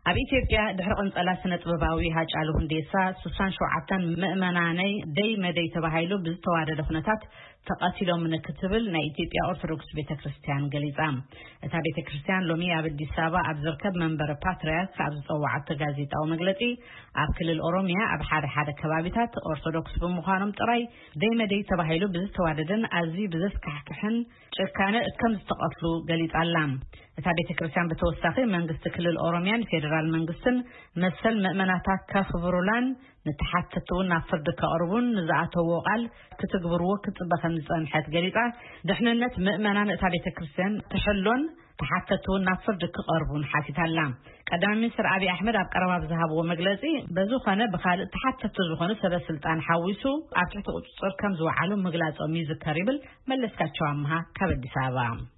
ኣብ ኢትዮጵያ ድሕሪ ቅንጸላ ስነ ጥበባዊ ሃጫሉ ሁንዴሳ፣ ስሳን ሸውዓተን ምእመናነይ ደይ መደይ ተባሂሉ ብዝተዋደደ ኩነታት ተቐቲሎም ክትብል ናይ ኢትዮጵያ ኦርቶዶክስ ቤተክርስትያን ገሊጻ። እታ ቤተክርስትያን ሎሚ ኣብ ኣዲስ ኣበባ ኣብ ዝርከብ መንበረ ፓትርያርክ ኣብ ዝጸዋዓቶ ጋዜጣዊ መግለጺ፣ ኣብ ክልል ኦሮሚያ ኣብ ሓደ ሓደ ከባቢታት ኦርቶዶክስ ብምዃኖም ጥራይ ደይ መደይ ተባሂሉ ብዝተዋደደን ኣዝዩ ብዘስካሕክሕን ጭካነ ከም ዝተቐትሉ ገሊጻ ኣላ። እታ ቤተክርስትያን ብተወሳኺ መንግስቲ ክልል ኦሮሚያን ፌዴራል መንግስትን መሰል ምእመናታ ከኽብሩላን ንተሓተትቲ እውን ናብ ፍርዲ ከቕርቡን ንዝኣተዎ ቃል ክትግብርዎ ክትጽበ ከም ዝጸንሐት ገሊጻ፣ ድሕንነት ምእመናን እታ ቤተክርስትያን ትሕሎን ተሓተትቲ እውን ናብ ፍርዲ ክቐርቡን ሓቲታላ። ቀዳማይ ሚኒስትር ኣብይ ኣሕመድ ኣብ ቀረባ ብዝሃብዎ መግለጺ፣ በዝኾነ ብኻልእ ተሓተትቲ ዝኾኑ ሰበ ስልጣን ሓዊሱ ኣብ ትሕቲ ቁጽጽር ከም ዝወዓሉ ምግላጾም ይዝከር ይብል መለስካቸው ኣምሃ ካብ ኣዲስ ኣበባ።